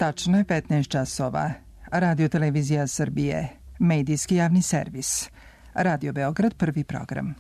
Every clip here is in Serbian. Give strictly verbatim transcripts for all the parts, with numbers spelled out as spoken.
Tačno je petnaest časova. Radio Televizija Srbije, medijski javni servis. Radio Beograd, prvi program.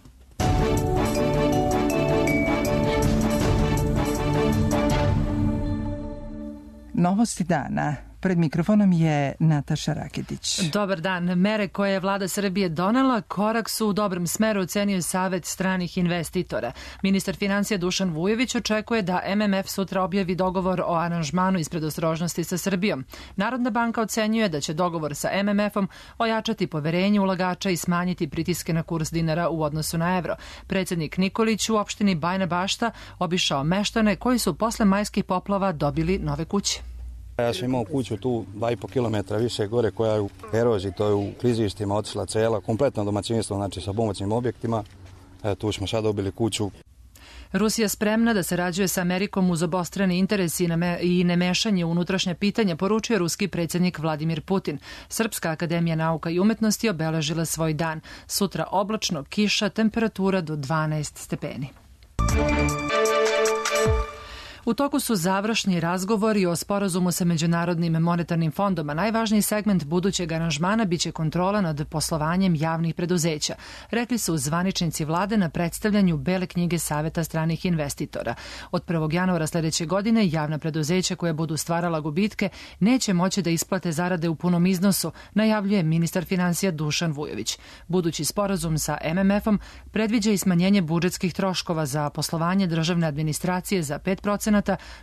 Novosti dana. Pred mikrofonom je Nataša Raketić. Dobar dan. Mere koje je vlada Srbije donela korak su u dobrom smeru, ocenio Savet stranih investitora. Ministar finansija Dušan Vujović očekuje da M M F sutra objavi dogovor o aranžmanu iz predostrožnosti sa Srbijom. Narodna banka ocenjuje da će dogovor sa M M F-om ojačati poverenje ulagača i smanjiti pritiske na kurs dinara u odnosu na evro. Predsjednik Nikolić u opštini Bajina Bašta obišao meštane koji su posle majskih poplava dobili nove kuće. Ja sam imao kuću tu dva i po kilometra više gore koja je u eroziji, to je u klizištima otišla cela, kompletno domaćinstvo, znači sa pomoćnim objektima. E, tu smo sad dobili kuću. Rusija spremna da sarađuje sa Amerikom uz obostrani interes i, neme, i nemešanje u unutrašnja pitanja, poručuje ruski predsjednik Vladimir Putin. Srpska akademija nauka i umetnosti obeležila svoj dan. Sutra oblačno, kiša, temperatura do dvanaest stepeni. U toku su završni razgovori o sporazumu sa Međunarodnim monetarnim fondom, a najvažniji segment budućeg aranžmana biće kontrola nad poslovanjem javnih preduzeća, rekli su zvaničnici vlade na predstavljanju Bele knjige Saveta stranih investitora. Od prvog januara sljedeće godine javna preduzeća koja budu stvarala gubitke neće moći da isplate zarade u punom iznosu, najavljuje ministar finansija Dušan Vujović. Budući sporazum sa M M F-om predviđa i smanjenje budžetskih troškova za poslovanje državne administracije za pet procenata,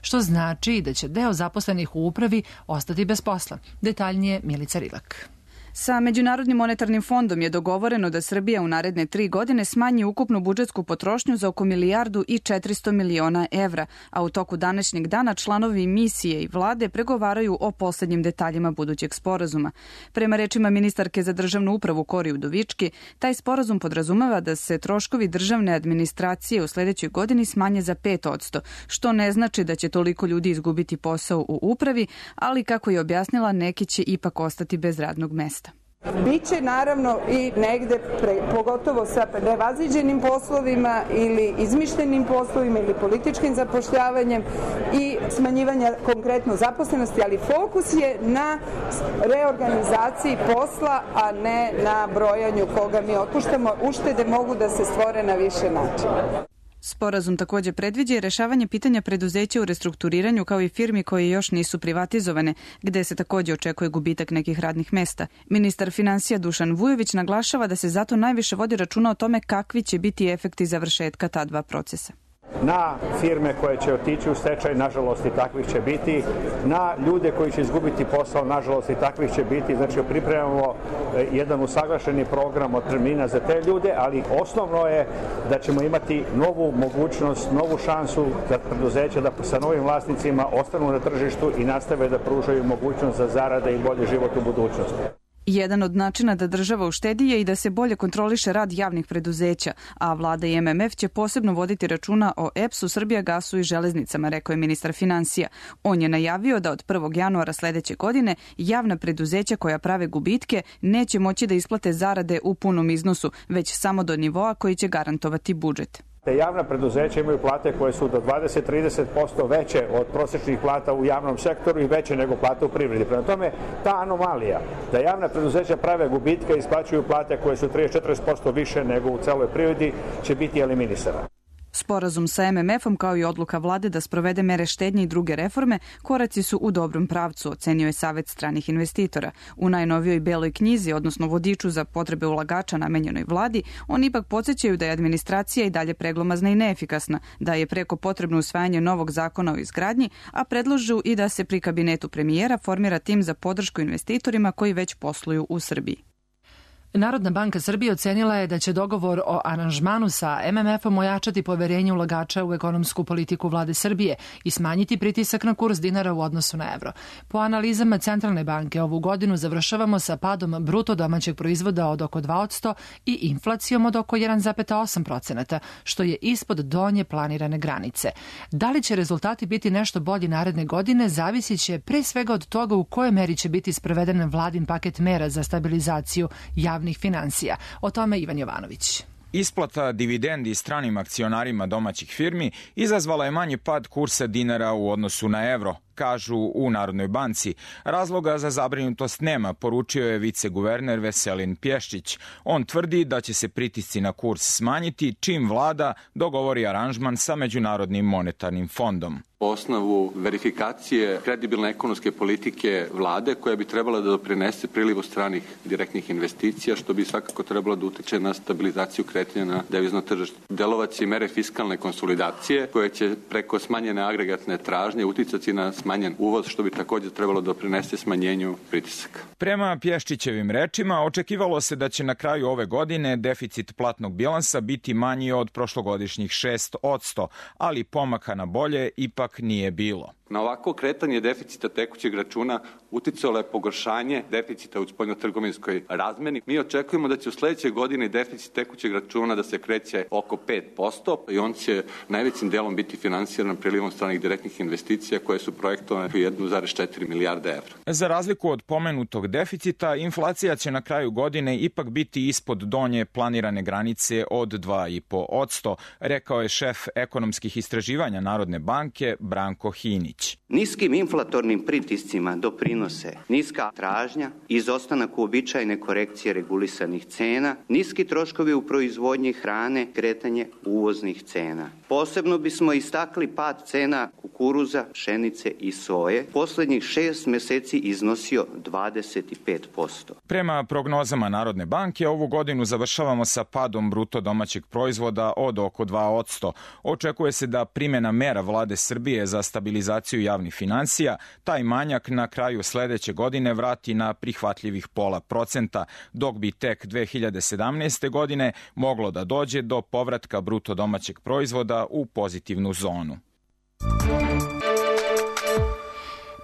što znači da će deo zaposlenih u upravi ostati bez posla. Detaljnije Milica Rilak. Sa Međunarodnim monetarnim fondom je dogovoreno da Srbija u naredne tri godine smanji ukupnu budžetsku potrošnju za oko milijardu i četiristo miliona evra, a u toku današnjeg dana članovi misije i vlade pregovaraju o poslednjim detaljima budućeg sporazuma. Prema rečima ministarke za državnu upravu Kori Udovički, taj sporazum podrazumeva da se troškovi državne administracije u sledećoj godini smanje za pet posto, što ne znači da će toliko ljudi izgubiti posao u upravi, ali kako je objasnila, neki će ipak ostati bez radnog mesta. Biće naravno i negde, pre, pogotovo sa nevaziđenim poslovima ili izmišljenim poslovima ili političkim zapošljavanjem i smanjivanja konkretno zaposlenosti, ali fokus je na reorganizaciji posla, a ne na brojanju koga mi otpuštamo. Uštede mogu da se stvore na više načina. Sporazum također predviđa i rešavanje pitanja preduzeća u restrukturiranju kao i firmi koje još nisu privatizovane, gde se također očekuje gubitak nekih radnih mesta. Ministar finansija Dušan Vujović naglašava da se zato najviše vodi računa o tome kakvi će biti efekti završetka ta dva procesa. Na firme koje će otići u stečaj, nažalost i takvih će biti, na ljude koji će izgubiti posao, nažalost i takvih će biti. Znači pripremamo jedan usaglašeni program od termina za te ljude, ali osnovno je da ćemo imati novu mogućnost, novu šansu za preduzeća da sa novim vlasnicima ostanu na tržištu i nastave da pružaju mogućnost za zarade i bolji život u budućnosti. Jedan od načina da država uštedi je i da se bolje kontroliše rad javnih preduzeća, a vlada i M M F će posebno voditi računa o E P S-u, Srbijagasu i železnicama, rekao je ministar finansija. On je najavio da od prvog januara sledeće godine javna preduzeća koja prave gubitke neće moći da isplate zarade u punom iznosu, već samo do nivoa koji će garantovati budžet. Te javna preduzeća imaju plate koje su do dvadeset do trideset posto veće od prosječnih plata u javnom sektoru i veće nego plate u privredi. Prema tome, ta anomalija da javna preduzeća prave gubitke i isplaćuju plate koje su trideset do četrdeset posto više nego u celoj privredi će biti eliminisana. Sporazum sa M M F-om kao i odluka vlade da sprovede mere štednje i druge reforme koraci su u dobrom pravcu, ocenio je Savet stranih investitora. U najnovijoj Beloj knjizi, odnosno vodiču za potrebe ulagača namenjenoj vladi, oni ipak podsjećaju da je administracija i dalje preglomazna i neefikasna, da je preko potrebno usvajanje novog zakona o izgradnji, a predlažu i da se pri kabinetu premijera formira tim za podršku investitorima koji već posluju u Srbiji. Narodna banka Srbije ocenila je da će dogovor o aranžmanu sa M M F-om ojačati poverenje ulagača u ekonomsku politiku vlade Srbije i smanjiti pritisak na kurs dinara u odnosu na evro. Po analizama Centralne banke ovu godinu završavamo sa padom bruto domaćeg proizvoda od oko dva posto i inflacijom od oko jedan zarez osam procenata, što je ispod donje planirane granice. Da li će rezultati biti nešto bolji naredne godine, zavisit će pre svega od toga u kojoj meri će biti sproveden vladin paket mera za stabilizaciju javnih finansija. O tome Ivan Jovanović. Isplata dividendi stranim akcionarima domaćih firmi izazvala je manji pad kursa dinara u odnosu na evro, kažu u Narodnoj banci. Razloga za zabrinutost nema, poručio je viceguverner Veselin Pješčić. On tvrdi da će se pritisci na kurs smanjiti čim vlada dogovori aranžman sa Međunarodnim monetarnim fondom. Po osnovu verifikacije kredibilne ekonomske politike vlade koja bi trebala da doprinese prilivu stranih direktnih investicija, što bi svakako trebalo da utiče na stabilizaciju kretanja na devizno tržište. Delovaće mere fiskalne konsolidacije koje će preko smanjene agregatne tražnje uticati na smanjen uvoz, što bi također trebalo doprinese smanjenju pritisaka. Prema Pješčićevim rečima, očekivalo se da će na kraju ove godine deficit platnog bilansa biti manji od prošlogodišnjih šest posto, ali pomaka na bolje ipak nije bilo. Na ovako kretanje deficita tekućeg računa uticalo je pogoršanje deficita u spoljnotrgovinskoj razmeni. Mi očekujemo da će u sledećoj godini deficit tekućeg računa da se kreće oko pet posto i on će najvećim delom biti finansiran prilivom stranih direktnih investicija koje su projektovane jedna zarez četiri milijarde evra. Za razliku od pomenutog deficita, inflacija će na kraju godine ipak biti ispod donje planirane granice od dva i po posto, rekao je šef ekonomskih istraživanja Narodne banke Branko Hinić. Niskim inflatornim pritiscima doprinose niska tražnja, izostanak uobičajene korekcije regulisanih cena, niski troškovi u proizvodnji hrane, kretanje uvoznih cena. Posebno bismo istakli pad cena kukuruza, pšenice i soje. Poslednjih šest meseci iznosio dvadeset pet posto. Prema prognozama Narodne banke, ovu godinu završavamo sa padom bruto domaćeg proizvoda od oko dva posto. Očekuje se da primjena mera vlade Srbije za stabilizaciju javnih finansija taj manjak na kraju sledeće godine vrati na prihvatljivih pola procenta, dok bi tek dve hiljade sedamnaeste. godine moglo da dođe do povratka bruto domaćeg proizvoda u pozitivnu zonu.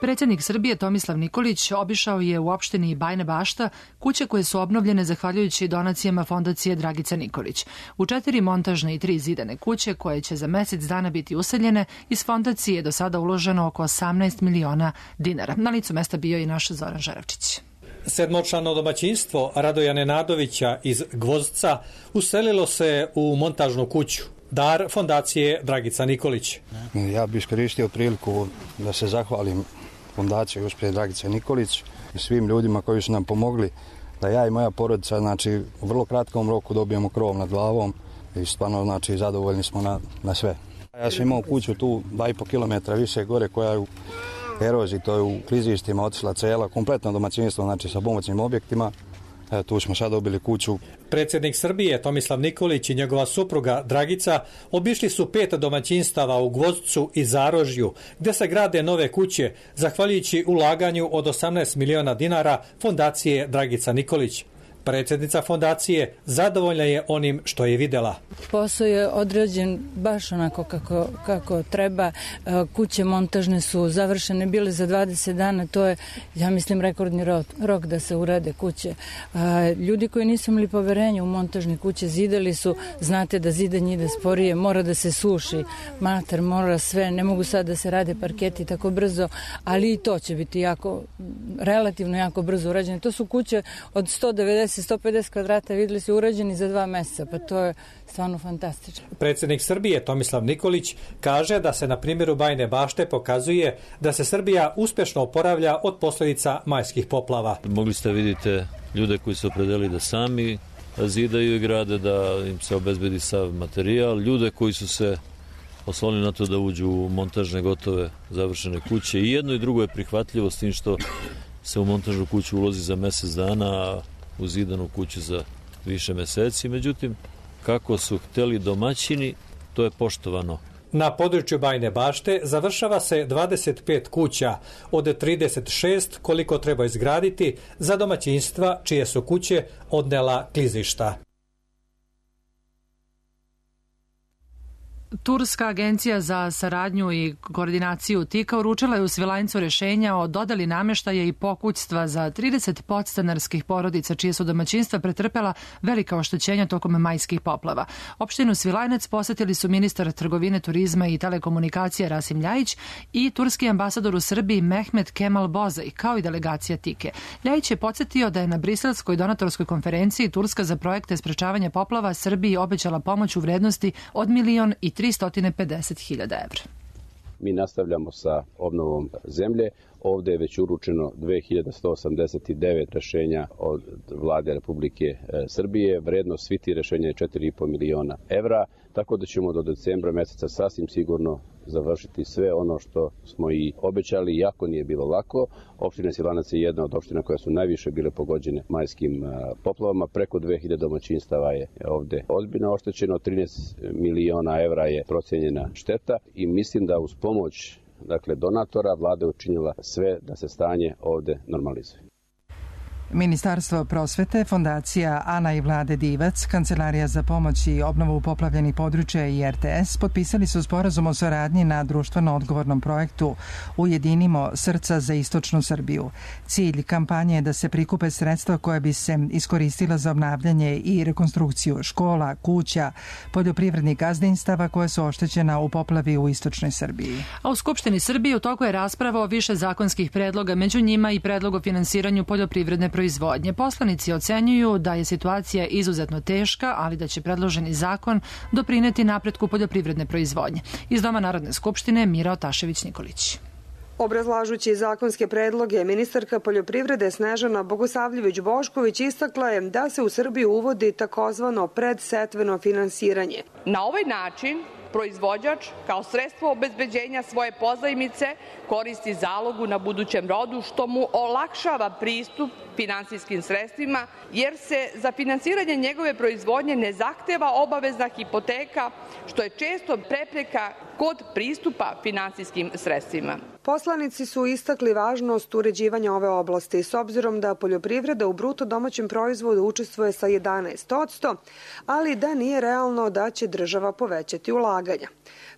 Predsjednik Srbije Tomislav Nikolić obišao je u opštini Bajina Bašta kuće koje su obnovljene zahvaljujući donacijama fondacije Dragica Nikolić. U četiri montažne i tri zidane kuće koje će za mesec dana biti useljene, iz fondacije je do sada uloženo oko osamnaest miliona dinara. Na licu mesta bio i naš Zoran Žaravčić. Sedmočlano domaćinstvo Radoja Nenadovića iz Gvozdca uselilo se u montažnu kuću. Dar fondacije Dragica Nikolić. Ja bih iskoristio priliku da se zahvalim fondaciji gospođe Dragice Nikolić i svim ljudima koji su nam pomogli da ja i moja porodica, znači, u vrlo kratkom roku dobijemo krov nad glavom i stvarno, znači, zadovoljni smo na, na sve. Ja sam imao kuću tu dva i po kilometra više gore koja je u eroziji, to je u klizištima otišla cela, kompletno domaćinstvo, znači sa pomoćnim objektima. E, tu smo sad dobili kuću. Predsjednik Srbije Tomislav Nikolić i njegova supruga Dragica obišli su pet domaćinstava u Gvozdcu i Zarožju, gde se grade nove kuće, zahvaljujući ulaganju od osamnaest miliona dinara fondacije Dragica Nikolić. Predsjednica fondacije zadovoljna je onim što je videla. Posao je određen baš onako kako, kako treba. Kuće montažne su završene bile za dvadeset dana. To je, ja mislim, rekordni rok, rok da se urade kuće. Ljudi koji nisu imali poverenje u montažne kuće zidali su, znate da zidanje ide sporije, mora da se suši mater, mora sve, ne mogu sad da se rade parketi tako brzo, ali i to će biti jako, relativno jako brzo urađeno. To su kuće od sto devedeset do sto pedeset kvadrata, videli su urađeni za dva meseca, pa to je stvarno fantastično. Predsjednik Srbije Tomislav Nikolić kaže da se na primjeru Bajine Bašte pokazuje da se Srbija uspješno oporavlja od posljedica majskih poplava. Mogli ste vidite ljude koji su opredelili da sami zidaju i grade, da im se obezbedi sav materijal, ljude koji su se oslonili na to da uđu u montažne gotove završene kuće. I jedno i drugo je prihvatljivo, s tim što se u montažnu kuću ulozi za mjesec dana, a u zidanu kuću za više meseci. Međutim, kako su hteli domaćini, to je poštovano. Na području Bajine Bašte završava se dvadeset pet kuća, od trideset šest koliko treba izgraditi za domaćinstva čije su kuće odnela klizišta. Turska agencija za saradnju i koordinaciju T I K-a uručila je u Svilajncu rešenja o dodeli namještaja i pokućstva za trideset podstanarskih porodica čije su domaćinstva pretrpela velika oštećenja tokom majskih poplava. Opštinu Svilajnac posetili su ministar trgovine, turizma i telekomunikacije Rasim Ljajić i turski ambasador u Srbiji Mehmet Kemal Bozaj, kao i delegacija T I K-e. Ljajić je podsjetio da je na briselskoj donatorskoj konferenciji Turska za projekte sprečavanja poplava Srbiji obećala pomoć u vrednosti od milion i tristo pedeset hiljada evra. Mi nastavljamo sa obnovom zemlje. Ovde je već uručeno dve hiljade sto osamdeset devet rešenja od vlade Republike Srbije. Vrednost svih tih rešenja je četiri i po miliona evra, tako da ćemo do decembra meseca sasvim sigurno završiti sve ono što smo i obećali, iako nije bilo lako. Opština Svilanac je jedna od opština koja su najviše bile pogođene majskim poplavama. Preko dve hiljade domaćinstava je ovde ozbiljno oštećeno, trinaest miliona evra je procenjena šteta i mislim da uz pomoć dakle, donatora vlada je učinila sve da se stanje ovde normalizuje. Ministarstvo prosvete, Fondacija Ana i Vlade Divac, Kancelarija za pomoć i obnovu poplavljenih područja i R T S potpisali su sporazum o saradnji na društveno odgovornom projektu Ujedinimo srca za istočnu Srbiju. Cilj kampanje je da se prikupe sredstva koja bi se iskoristila za obnavljanje i rekonstrukciju škola, kuća, poljoprivrednih gazdinstava koje su oštećena u poplavi u istočnoj Srbiji. A u Skupštini Srbije u toku je rasprava o više zakonskih predloga, među njima i predlog o finansiranju poljoprivredne proizvodnje. Poslanici ocenjuju da je situacija izuzetno teška, ali da će predloženi zakon doprineti napretku poljoprivredne proizvodnje. Iz Doma Narodne skupštine Mira Otašević-Nikolić. Obrazlažući zakonske predloge, ministarka poljoprivrede Snežana Bogosavljević-Bošković istakla je da se u Srbiji uvodi takozvano predsetveno finansiranje. Na ovaj način proizvođač kao sredstvo obezbeđenja svoje pozajmice koristi zalogu na budućem rodu, što mu olakšava pristup finansijskim sredstvima, jer se za finansiranje njegove proizvodnje ne zahteva obavezna hipoteka, što je često prepreka kod pristupa finansijskim sredstvima. Poslanici su istakli važnost uređivanja ove oblasti s obzirom da poljoprivreda u bruto domaćem proizvodu učestvuje sa jedanaest posto, ali da nije realno da će država povećati ulaganja.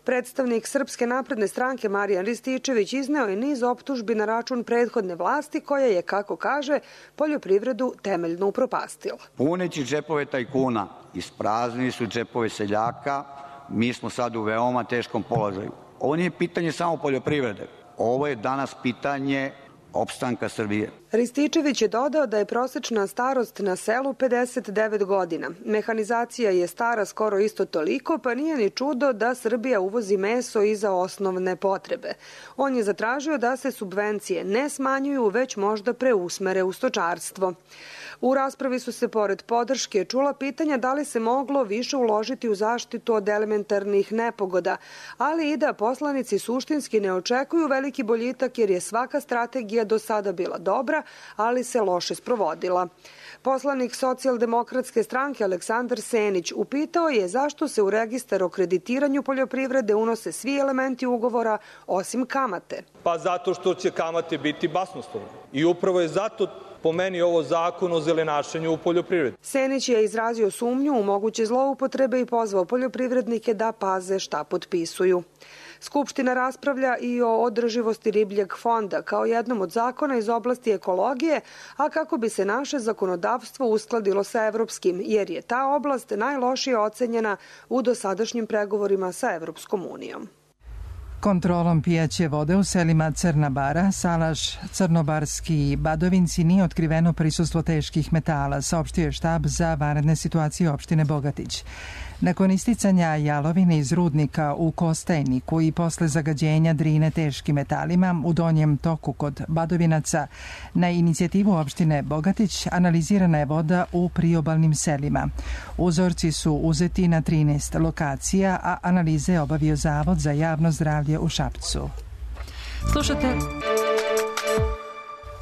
Predstavnik Srpske napredne stranke Marijan Rističević izneo je niz optužbi na račun prethodne vlasti koja je, kako kaže, poljoprivredu temeljno upropastila. Puneći džepove tajkuna, ispraznili su džepove seljaka, mi smo sad u veoma teškom položaju. Ovo nije pitanje samo poljoprivrede, ovo je danas pitanje opstanka Srbije. Rističević je dodao da je prosečna starost na selu pedeset devet godina. Mehanizacija je stara skoro isto toliko, pa nije ni čudo da Srbija uvozi meso i za osnovne potrebe. On je zatražio da se subvencije ne smanjuju, već možda preusmere u stočarstvo. U raspravi su se pored podrške čula pitanja da li se moglo više uložiti u zaštitu od elementarnih nepogoda, ali i da poslanici suštinski ne očekuju veliki boljitak jer je svaka strategija do sada bila dobra, ali se loše sprovodila. Poslanik Socijaldemokratske stranke Aleksandar Senić upitao je zašto se u registar o kreditiranju poljoprivrede unose svi elementi ugovora osim kamate. Pa zato što će kamate biti basnoslovne. I upravo je zato po meni ovo zakon o zelenašenju u poljoprivredi. Senić je izrazio sumnju u moguće zloupotrebe i pozvao poljoprivrednike da paze šta potpisuju. Skupština raspravlja i o održivosti ribljeg fonda kao jednom od zakona iz oblasti ekologije, a kako bi se naše zakonodavstvo uskladilo sa evropskim, jer je ta oblast najlošije ocenjena u dosadašnjim pregovorima sa Evropskom unijom. Kontrolom pijaće vode u selima Crna Bara, Salaš, Crnobarski i Badovinci nije otkriveno prisustvo teških metala, saopštio je štab za vanredne situacije opštine Bogatić. Nakon isticanja jalovine iz rudnika u Kostajniku i posle zagađenja Drine teškim metalima u donjem toku kod Badovinaca, na inicijativu opštine Bogatić analizirana je voda u priobalnim selima. Uzorci su uzeti na trinaest lokacija, a analize je obavio Zavod za javno zdravlje u Šapcu. Slušate...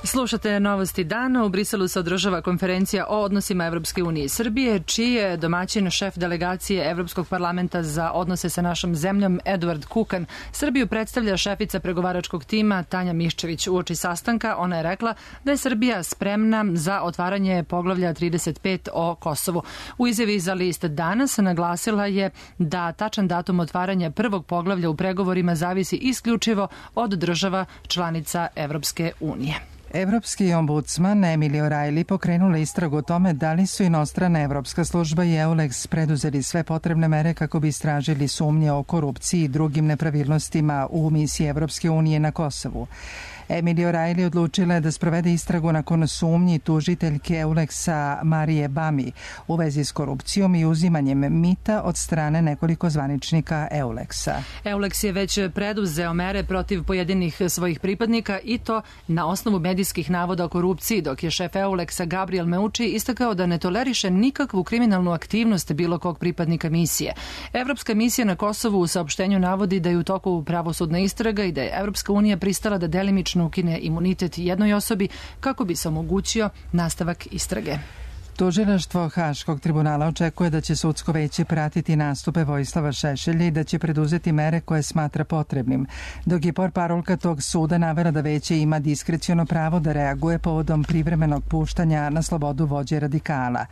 Slušate novosti dana. U Briselu se održava konferencija o odnosima Evropske unije i Srbije, čiji je domaćin šef delegacije Evropskog parlamenta za odnose sa našom zemljom Eduard Kukan. Srbiju predstavlja šefica pregovaračkog tima Tanja Miščević. Uoči sastanka ona je rekla da je Srbija spremna za otvaranje poglavlja trideset pet o Kosovu. U izjavi za list Danas naglasila je da tačan datum otvaranja prvog poglavlja u pregovorima zavisi isključivo od država članica Evropske unije. Evropski ombudsman Emily O'Reilly pokrenula istragu o tome da li su inostrana Evropska služba i EULEX preduzeli sve potrebne mere kako bi istražili sumnje o korupciji i drugim nepravilnostima u misiji Evropske unije na Kosovu. Emily O'Reilly odlučila je da sprovede istragu nakon sumnji tužiteljke Euleksa Marije Bami u vezi s korupcijom i uzimanjem mita od strane nekoliko zvaničnika Euleksa. Euleks je već preduzeo mere protiv pojedinih svojih pripadnika i to na osnovu medijskih navoda o korupciji, dok je šef Euleksa Gabriel Meucci istakao da ne toleriše nikakvu kriminalnu aktivnost bilo kog pripadnika misije. Evropska misija na Kosovu u saopštenju navodi da je u toku pravosudna istraga i da je Evropska unija pristala da delimično ukine imunitet jednoj osobi kako bi se omogućio nastavak istrage. Tužilaštvo Haškog tribunala očekuje da će sudsko veće pratiti nastupe Vojislava Šešelja i da će preduzeti mere koje smatra potrebnim, dok je portparolka tog suda navela da veće ima diskreciono pravo da reaguje povodom privremenog puštanja na slobodu vođe radikala.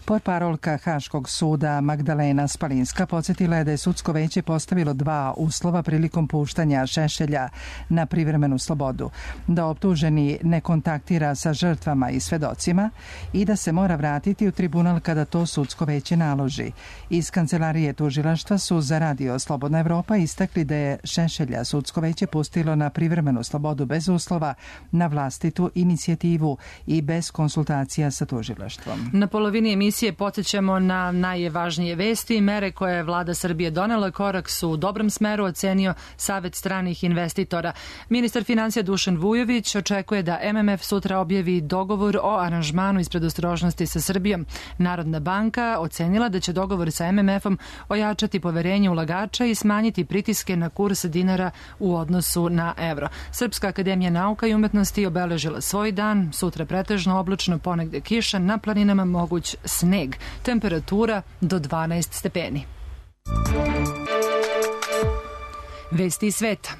Portparolka Haškog suda Magdalena Spalinska podsjetila je da je sudsko veće postavilo dva uslova prilikom puštanja Šešelja na privremenu slobodu: da optuženi ne kontaktira sa žrtvama i svedocima i da se mora vratiti vratiti u tribunal kada to sudsko veće naloži. Iz kancelarije tužilaštva su za radio Slobodna Evropa istakli da je Šešelja sudsko veće pustilo na privremenu slobodu bez uslova, na vlastitu inicijativu i bez konsultacija sa tužilaštvom. Na polovini emisije podsjećamo na najvažnije vesti i mere koje je vlada Srbije donela. Korak su u dobrom smeru ocenio Savet stranih investitora. Ministar financija Dušan Vujović očekuje da M M F sutra objavi dogovor o aranžmanu iz predostrožnosti sa Srbijom. Narodna banka ocenila da će dogovor sa M M F-om ojačati poverenje ulagača i smanjiti pritiske na kurs dinara u odnosu na evro. Srpska akademija nauka i umetnosti obeležila svoj dan, sutra pretežno oblačno, ponegde kiša, na planinama moguć sneg. Temperatura do dvanaest stepeni. Vesti iz sveta.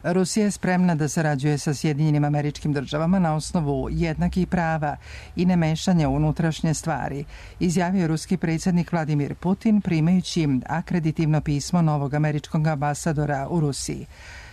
Rusija je spremna da sarađuje sa Sjedinjenim Američkim Državama na osnovu jednakih prava i nemešanja u unutrašnje stvari, izjavio je ruski predsjednik Vladimir Putin primajući akreditivno pismo novog američkog ambasadora u Rusiji.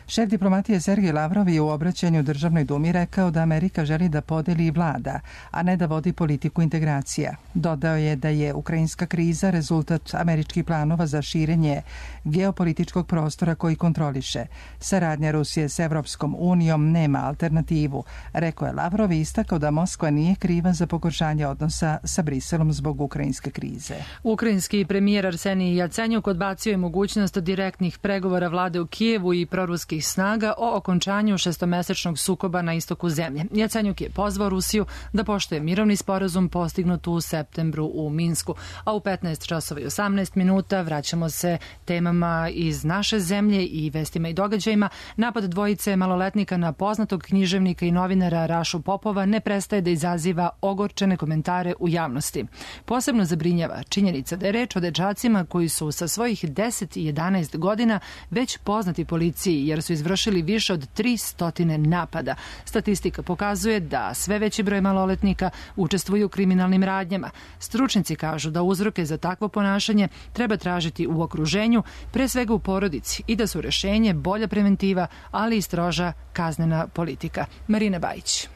Šef diplomatije Sergej Lavrov je u obraćanju Državnoj dumi rekao da Amerika želi da podeli i vlada, a ne da vodi politiku integracija. Dodao je da je ukrajinska kriza rezultat američkih planova za širenje geopolitičkog prostora koji kontroliše. Saradnja Rusije s Evropskom unijom nema alternativu, rekao je Lavrov i istakao da Moskva nije kriva za pogoršanje odnosa sa Briselom zbog ukrajinske krize. Ukrajinski premijer Arsenij Jacenjuk odbacio je mogućnost direktnih pregovora vlade u Kijevu i proruskih snaga o okončanju šestomesečnog sukoba na istoku zemlje. Jacenjuk je pozvao Rusiju da poštuje mirovni sporazum postignut u septembru u Minsku. A u petnaest časova i osamnaest minuta vraćamo se temama iz naše zemlje i vestima i događajima. Napad dvojice maloletnika na poznatog književnika i novinara Rašu Popova ne prestaje da izaziva ogorčene komentare u javnosti. Posebno zabrinjava činjenica da je reč o dečacima koji su sa svojih deset i jedanaest godina već poznati policiji jer su izvršili više od tristo napada. Statistika pokazuje da sve veći broj maloletnika učestvuju u kriminalnim radnjama. Stručnici kažu da uzroke za takvo ponašanje treba tražiti u okruženju, pre svega u porodici, i da su rešenje bolja preventiva, ali i stroža kaznena politika. Marina Bajić.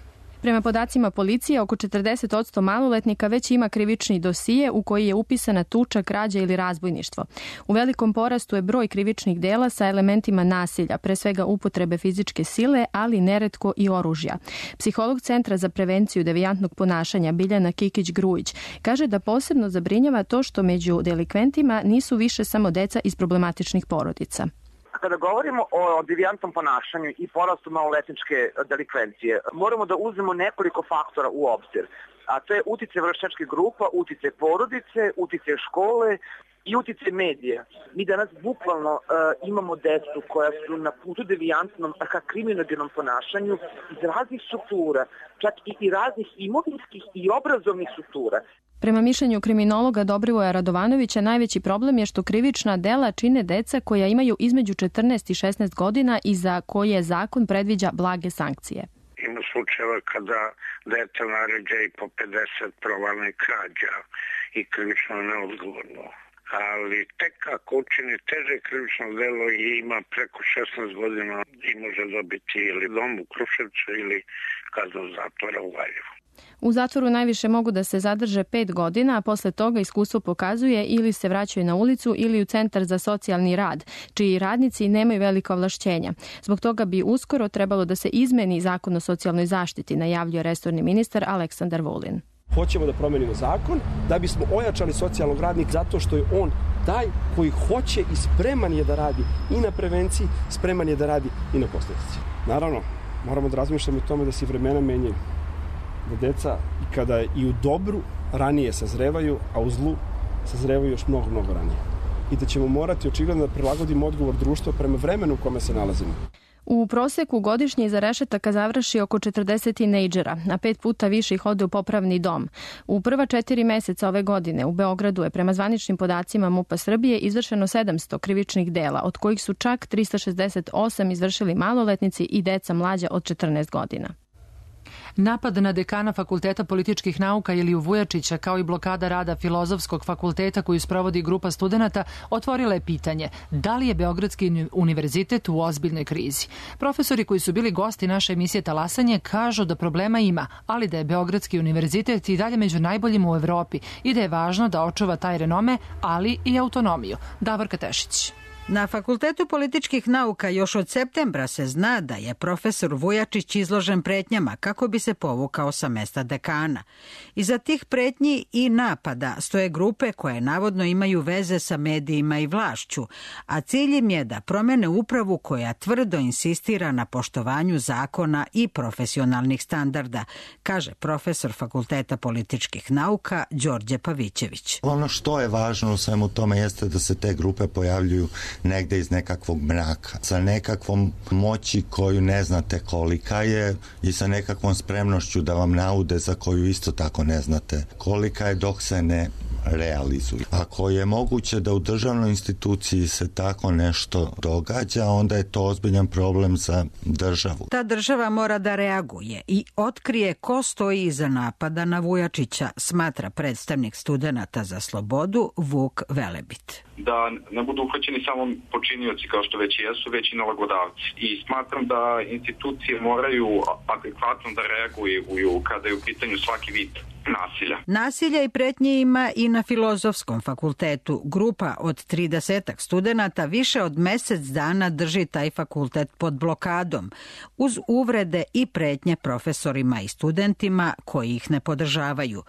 Prema podacima policije, oko četrdeset posto maloletnika već ima krivični dosije u koji je upisana tuča, krađa ili razbojništvo. U velikom porastu je broj krivičnih dela sa elementima nasilja, pre svega upotrebe fizičke sile, ali neretko i oružja. Psiholog Centra za prevenciju devijantnog ponašanja Biljana Kikić-Grujić kaže da posebno zabrinjava to što među delikventima nisu više samo deca iz problematičnih porodica. Kada govorimo o devijantnom ponašanju i porastu maloletničke delikvencije, moramo da uzmemo nekoliko faktora u obzir. A to je uticaj vršnjačkih grupa, uticaj porodice, uticaj škole i uticaj medija. Mi danas bukvalno uh, imamo decu koja su na putu devijantnom, ka kriminogenom ponašanju iz raznih struktura, čak i, i raznih imovinskih i obrazovnih struktura. Prema mišljenju kriminologa Dobrivoja Radovanovića, najveći problem je što krivična dela čine deca koja imaju između četrnaest i šesnaest godina i za koje zakon predviđa blage sankcije. Ima slučajeva kada dete naređa i po pedeset provalnih krađa i krivično neodgovorno. Ali tek ako učini teže krivično delo i ima preko šesnaest godina i može dobiti ili dom u Kruševcu ili kaznu zatvora u Valjevu. U zatvoru najviše mogu da se zadrže pet godina, a posle toga iskustvo pokazuje ili se vraćaju na ulicu ili u centar za socijalni rad, čiji radnici nemaju velika ovlašćenja. Zbog toga bi uskoro trebalo da se izmeni zakon o socijalnoj zaštiti, najavljuje resorni ministar Aleksandar Vulin. Hoćemo da promenimo zakon da bismo ojačali socijalnog radnika zato što je on taj koji hoće i spreman je da radi i na prevenciji, spreman je da radi i na posljedici. Naravno, moramo da razmišljamo o tome da se vremena menjaju. Da deca i kada i u dobru ranije sazrevaju, a u zlu sazrevaju još mnogo, mnogo ranije. I da ćemo morati očigledno da prilagodimo odgovor društva prema vremenu u kome se nalazimo. U proseku godišnje iza rešetaka završi oko četrdeset tinejdžera, a pet puta više ih ode u popravni dom. U prva četiri meseca ove godine u Beogradu je prema zvaničnim podacima MUP-a Srbije izvršeno sedamsto krivičnih dela, od kojih su čak trista šezdeset osam izvršili maloletnici i deca mlađa od četrnaest godina. Napad na dekana Fakulteta političkih nauka Iliju Vujačića, kao i blokada rada Filozofskog fakulteta koju sprovodi grupa studenata, otvorila je pitanje da li je Beogradski univerzitet u ozbiljnoj krizi. Profesori koji su bili gosti naše emisije Talasanje kažu da problema ima, ali da je Beogradski univerzitet i dalje među najboljima u Evropi i da je važno da očuva taj renome, ali i autonomiju. Davorka Tešić. Na Fakultetu političkih nauka još od septembra se zna da je profesor Vujačić izložen pretnjama kako bi se povukao sa mesta dekana. Iza tih pretnji i napada stoje grupe koje navodno imaju veze sa medijima i vlašću, a cilj im je da promene upravu koja tvrdo insistira na poštovanju zakona i profesionalnih standarda, kaže profesor Fakulteta političkih nauka Đorđe Pavićević. Ono što je važno u svemu tome jeste da se te grupe pojavljuju negde iz nekakvog mraka, sa nekakvom moći koju ne znate kolika je i sa nekakvom spremnošću da vam naude za koju isto tako ne znate kolika je dok se ne realizuju. Ako je moguće da u državnoj instituciji se tako nešto događa, onda je to ozbiljan problem za državu. Ta država mora da reaguje i otkrije ko stoji iza napada na Vujačića, smatra predstavnik studenata za slobodu Vuk Velebit. Da ne budu uhvaćeni samo počinioci kao što već jesu, već i nalagodavci. I smatram da institucije moraju adekvatno da reaguju kada je u pitanju svaki vid nasilja. Nasilja i pretnje ima i na Filozofskom fakultetu. Grupa od tridesetak studenata više od mesec dana drži taj fakultet pod blokadom, uz uvrede i pretnje profesorima i studentima koji ih ne podržavaju.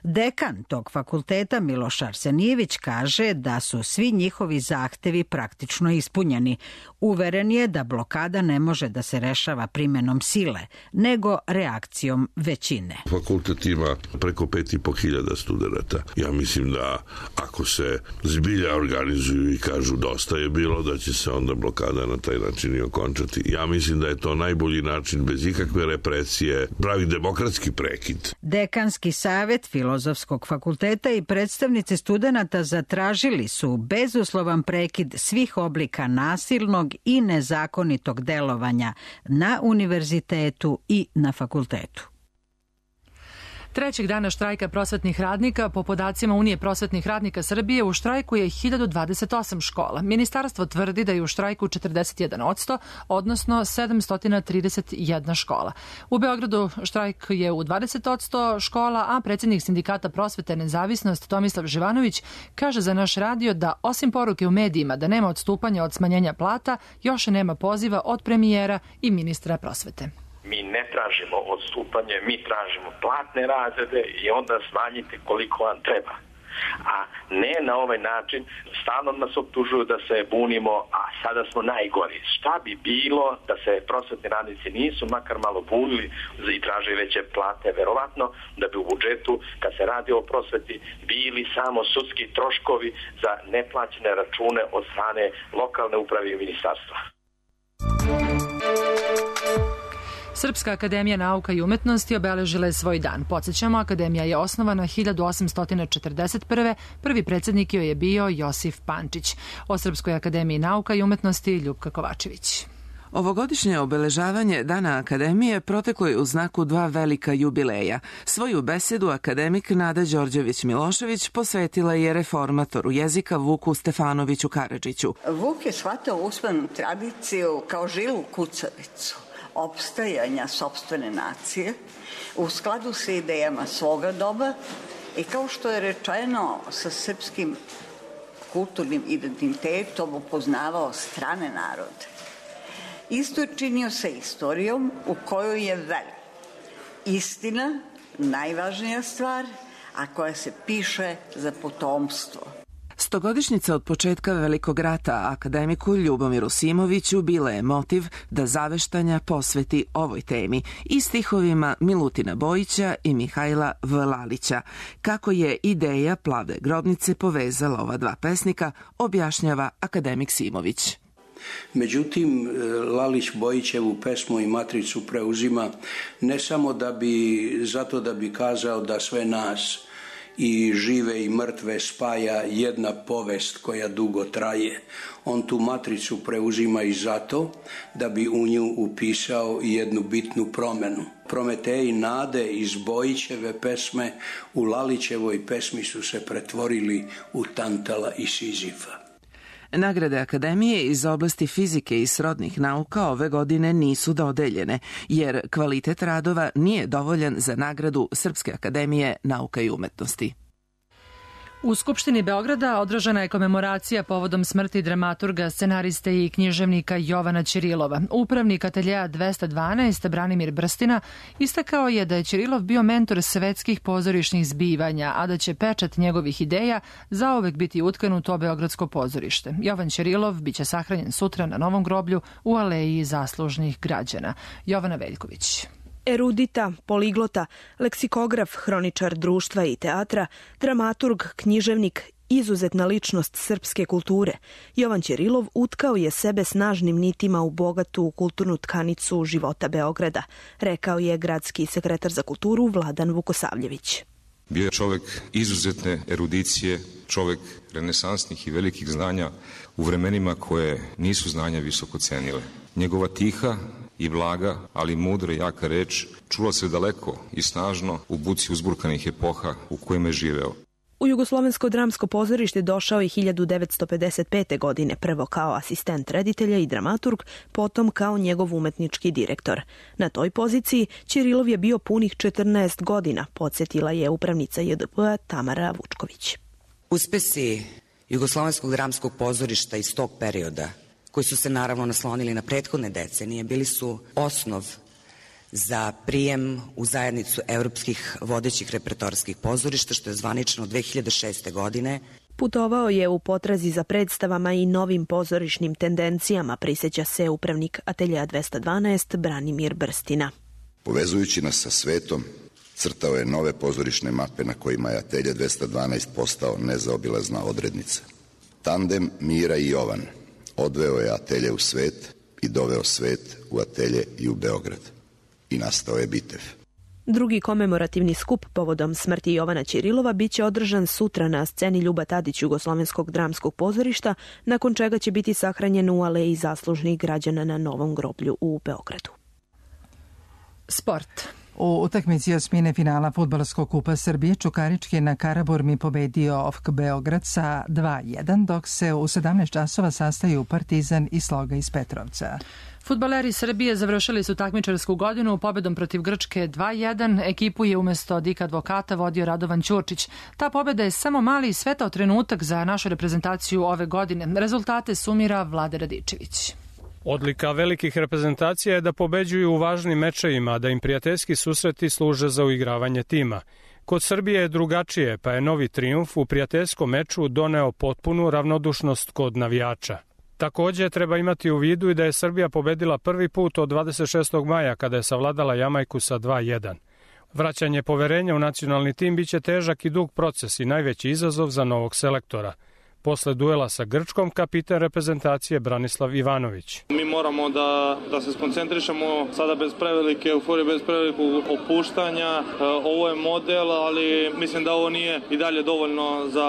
Dekan tog fakulteta Miloš Arsenijević kaže da su svi njihovi zahtevi praktično ispunjeni. Uveren je da blokada ne može da se rešava primenom sile, nego reakcijom većine. Fakultet ima preko pet i po hiljada studenta. Ja mislim da ako se zbilja organizuju i kažu dosta je bilo, da će se onda blokada na taj način i okončati. Ja mislim da je to najbolji način, bez ikakve represije, pravi demokratski prekid. Dekanski savet Filozofskog fakulteta i predstavnici studenata zatražili su bezuslovan prekid svih oblika nasilnog i nezakonitog delovanja na univerzitetu i na fakultetu. Trećeg dana štrajka prosvetnih radnika, po podacima Unije prosvetnih radnika Srbije, u štrajku je hiljadu dvadeset osam škola. Ministarstvo tvrdi da je u štrajku četrdeset jedan posto, odnosno sedamsto trideset jedna škola. U Beogradu štrajk je u dvadeset posto škola, a predsjednik sindikata prosvete Nezavisnost Tomislav Živanović kaže za naš radio da osim poruke u medijima da nema odstupanja od smanjenja plata, još nema poziva od premijera i ministra prosvete. Mi ne tražimo odstupanje, mi tražimo platne razrede i onda smanjite koliko vam treba. A ne na ovaj način, stalno nas optužuju da se bunimo, a sada smo najgori. Šta bi bilo da se prosvetni radnici nisu makar malo bunili i tražili veće plate? Verovatno da bi u budžetu, kad se radi o prosveti, bili samo sudski troškovi za neplaćene račune od strane lokalne uprave i ministarstva. Srpska akademija nauka i umetnosti obeležila je svoj dan. Podsjećamo, akademija je osnovana hiljadu osamsto četrdeset prve. Prvi predsjednik joj je bio Josif Pančić. O Srpskoj akademiji nauka i umetnosti Ljupka Kovačević. Ovogodišnje obeležavanje Dana Akademije proteklo je u znaku dva velika jubileja. Svoju besedu akademik Nada Đorđević-Milošević posvetila je reformatoru jezika Vuku Stefanoviću Karadžiću. Vuk je shvatao usmenu tradiciju kao žilu kucavicu. opstajanja sopstvene nacije u skladu sa idejama svoga doba i kao što je rečeno sa srpskim kulturnim identitetom upoznavao strane narode. Isto je činio sa istorijom u kojoj je velik. Istina, najvažnija stvar, a koja se piše za potomstvo. Stogodišnjica od početka Velikog rata akademiku Ljubomiru Simoviću bila je motiv da zaveštanja posveti ovoj temi i stihovima Milutina Bojića i Mihajla Vlalića. Kako je ideja Plave grobnice povezala ova dva pesnika, objašnjava akademik Simović. Međutim, Lalić Bojićevu pesmu i matricu preuzima ne samo da bi, zato da bi kazao da sve nas i žive i mrtve spaja jedna povest koja dugo traje. On tu matricu preuzima i zato da bi u nju upisao jednu bitnu promenu. Prometej nade iz Bojićeve pesme u Lalićevoj pesmi su se pretvorili u Tantala i Sizifa. Nagrade Akademije iz oblasti fizike i srodnih nauka ove godine nisu dodeljene, jer kvalitet radova nije dovoljan za nagradu Srpske akademije nauka i umetnosti. U Skupštini Beograda održana je komemoracija povodom smrti dramaturga, scenariste i književnika Jovana Ćirilova. Upravnik ateljeja dvesta dvanaest, Branimir Brstina, istakao je da je Ćirilov bio mentor svetskih pozorišnih zbivanja, a da će pečat njegovih ideja zauvek biti utkan u to beogradsko pozorište. Jovan Ćirilov biće sahranjen sutra na Novom groblju u Aleji zaslužnih građana. Jovana Veljković. Erudita, poliglota, leksikograf, hroničar društva i teatra, dramaturg, književnik, izuzetna ličnost srpske kulture. Jovan Ćirilov utkao je sebe snažnim nitima u bogatu kulturnu tkanicu života Beograda, rekao je gradski sekretar za kulturu Vladan Vukosavljević. Bio je čovek izuzetne erudicije, čovek renesansnih i velikih znanja u vremenima koje nisu znanja visoko cenile. Njegova tiha i blaga, ali mudra i jaka reč čula se daleko i snažno u buci uzburkanih epoha u kojima je živeo. U Jugoslovensko dramsko pozorište došao je hiljadu devetsto pedeset pete. godine, prvo kao asistent reditelja i dramaturg, potom kao njegov umetnički direktor. Na toj poziciji Ćirilov je bio punih četrnaest godina, podsjetila je upravnica J D P-a Tamara Vučković. Uspesi Jugoslovenskog dramskog pozorišta iz tog perioda, koji su se naravno naslonili na prethodne decenije, bili su osnov za prijem u zajednicu evropskih vodećih repertoarskih pozorišta, što je zvanično dve hiljade šeste. godine. Putovao je u potrazi za predstavama i novim pozorišnim tendencijama, prisjeća se upravnik ateljeja dvesta dvanaest Branimir Brstina. Povezujući nas sa svetom, crtao je nove pozorišne mape na kojima je atelje dvesta dvanaest postao nezaobilazna odrednica. Tandem Mira i Jovan odveo je atelje u svet i doveo svet u atelje i u Beograd. I nastao je Bitev. Drugi komemorativni skup povodom smrti Jovana Ćirilova biće održan sutra na sceni Ljuba Tadić Jugoslovenskog dramskog pozorišta, nakon čega će biti sahranjen u Aleji zaslužnih građana na Novom groblju u Beogradu. Sport. U utakmici osmine finala Fudbalskog kupa Srbije Čukarički je na Karaburmi pobedio O F K Beograd sa dva jedan, dok se u sedamnaest časova sastaju Partizan i Sloga iz Petrovca. Fudbaleri Srbije završili su takmičarsku godinu pobedom protiv Grčke dva jedan. Ekipu je umesto Dika Advokata vodio Radovan Ćurčić. Ta pobeda je samo mali svetao trenutak za našu reprezentaciju ove godine. Rezultate sumira Vlade Radičević. Odlika velikih reprezentacija je da pobeđuju u važnim mečevima, da im prijateljski susreti služe za uigravanje tima. Kod Srbije je drugačije, pa je novi trijumf u prijateljskom meču doneo potpunu ravnodušnost kod navijača. Takođe treba imati u vidu i da je Srbija pobedila prvi put od dvadeset šestog maja kada je savladala Jamajku sa dva jedan. Vraćanje poverenja u nacionalni tim biće težak i dug proces i najveći izazov za novog selektora. Posle duela sa Grčkom, kapitan reprezentacije Branislav Ivanović. Mi moramo da, da se skoncentrišemo sada bez prevelike euforije, bez prevelikog opuštanja. Ovo je model, ali mislim da ovo nije i dalje dovoljno za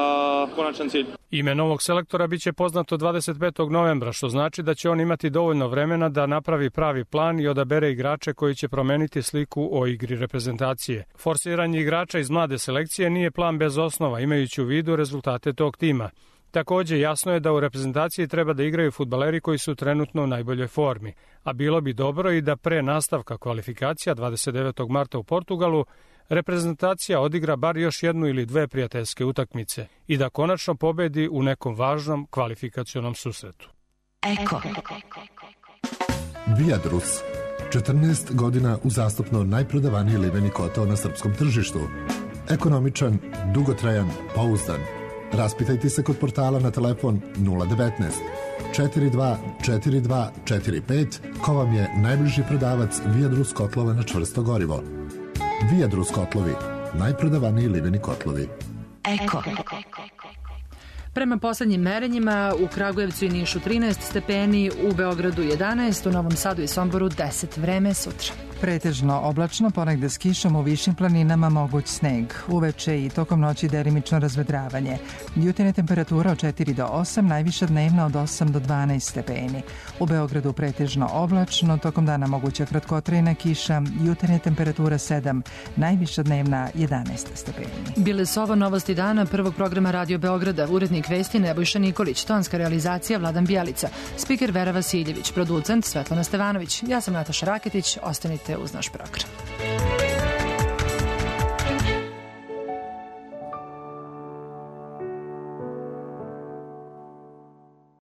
konačan cilj. Ime novog selektora biće poznato dvadeset petog novembra, što znači da će on imati dovoljno vremena da napravi pravi plan i odabere igrače koji će promeniti sliku o igri reprezentacije. Forsiranje igrača iz mlade selekcije nije plan bez osnova, imajući u vidu rezultate tog tima. Takođe, jasno je da u reprezentaciji treba da igraju fudbaleri koji su trenutno u najboljoj formi, a bilo bi dobro i da pre nastavka kvalifikacija dvadeset devetog marta u Portugalu reprezentacija odigra bar još jednu ili dve prijateljske utakmice i da konačno pobedi u nekom važnom kvalifikacionom susretu. Eko. Viadrus. četrnaest godina uzastopno najprodavaniji liveni kotao na srpskom tržištu. Ekonomičan, dugotrajan, pouzdan. Raspitajte se kod portala na telefon nula devetnaest četrdeset dva četrdeset dva četrdeset pet ko vam je najbliži prodavac Viadrus kotlova na čvrsto gorivo. Viadrus kotlovi, najprodavaniji liveni kotlovi. Eko. Prema poslednjim merenjima u Kragujevcu i Nišu trinaest stepeni, u Beogradu jedanaest, u Novom Sadu i Somboru deset. Vreme sutra. Pretežno oblačno, ponegde s kišom, u višim planinama moguć sneg. Uveče i tokom noći delimično razvedravanje. Jutarnja temperatura od četiri do osam, najviša dnevna od osam do dvanaest stepeni. U Beogradu pretežno oblačno, tokom dana moguća kratkotrajna kiša, jutarnja temperatura sedam, najviša dnevna jedanaest stepeni. Bile su ovo novosti dana prvog programa Radio Beograda. Urednik vesti Nebojša Nikolić, tonska realizacija Vladan Bijelica, spiker Vera Vasiljević, producent Svetlana Stevanović. Ja sam Nataša Raketić, ostanite uz naš program.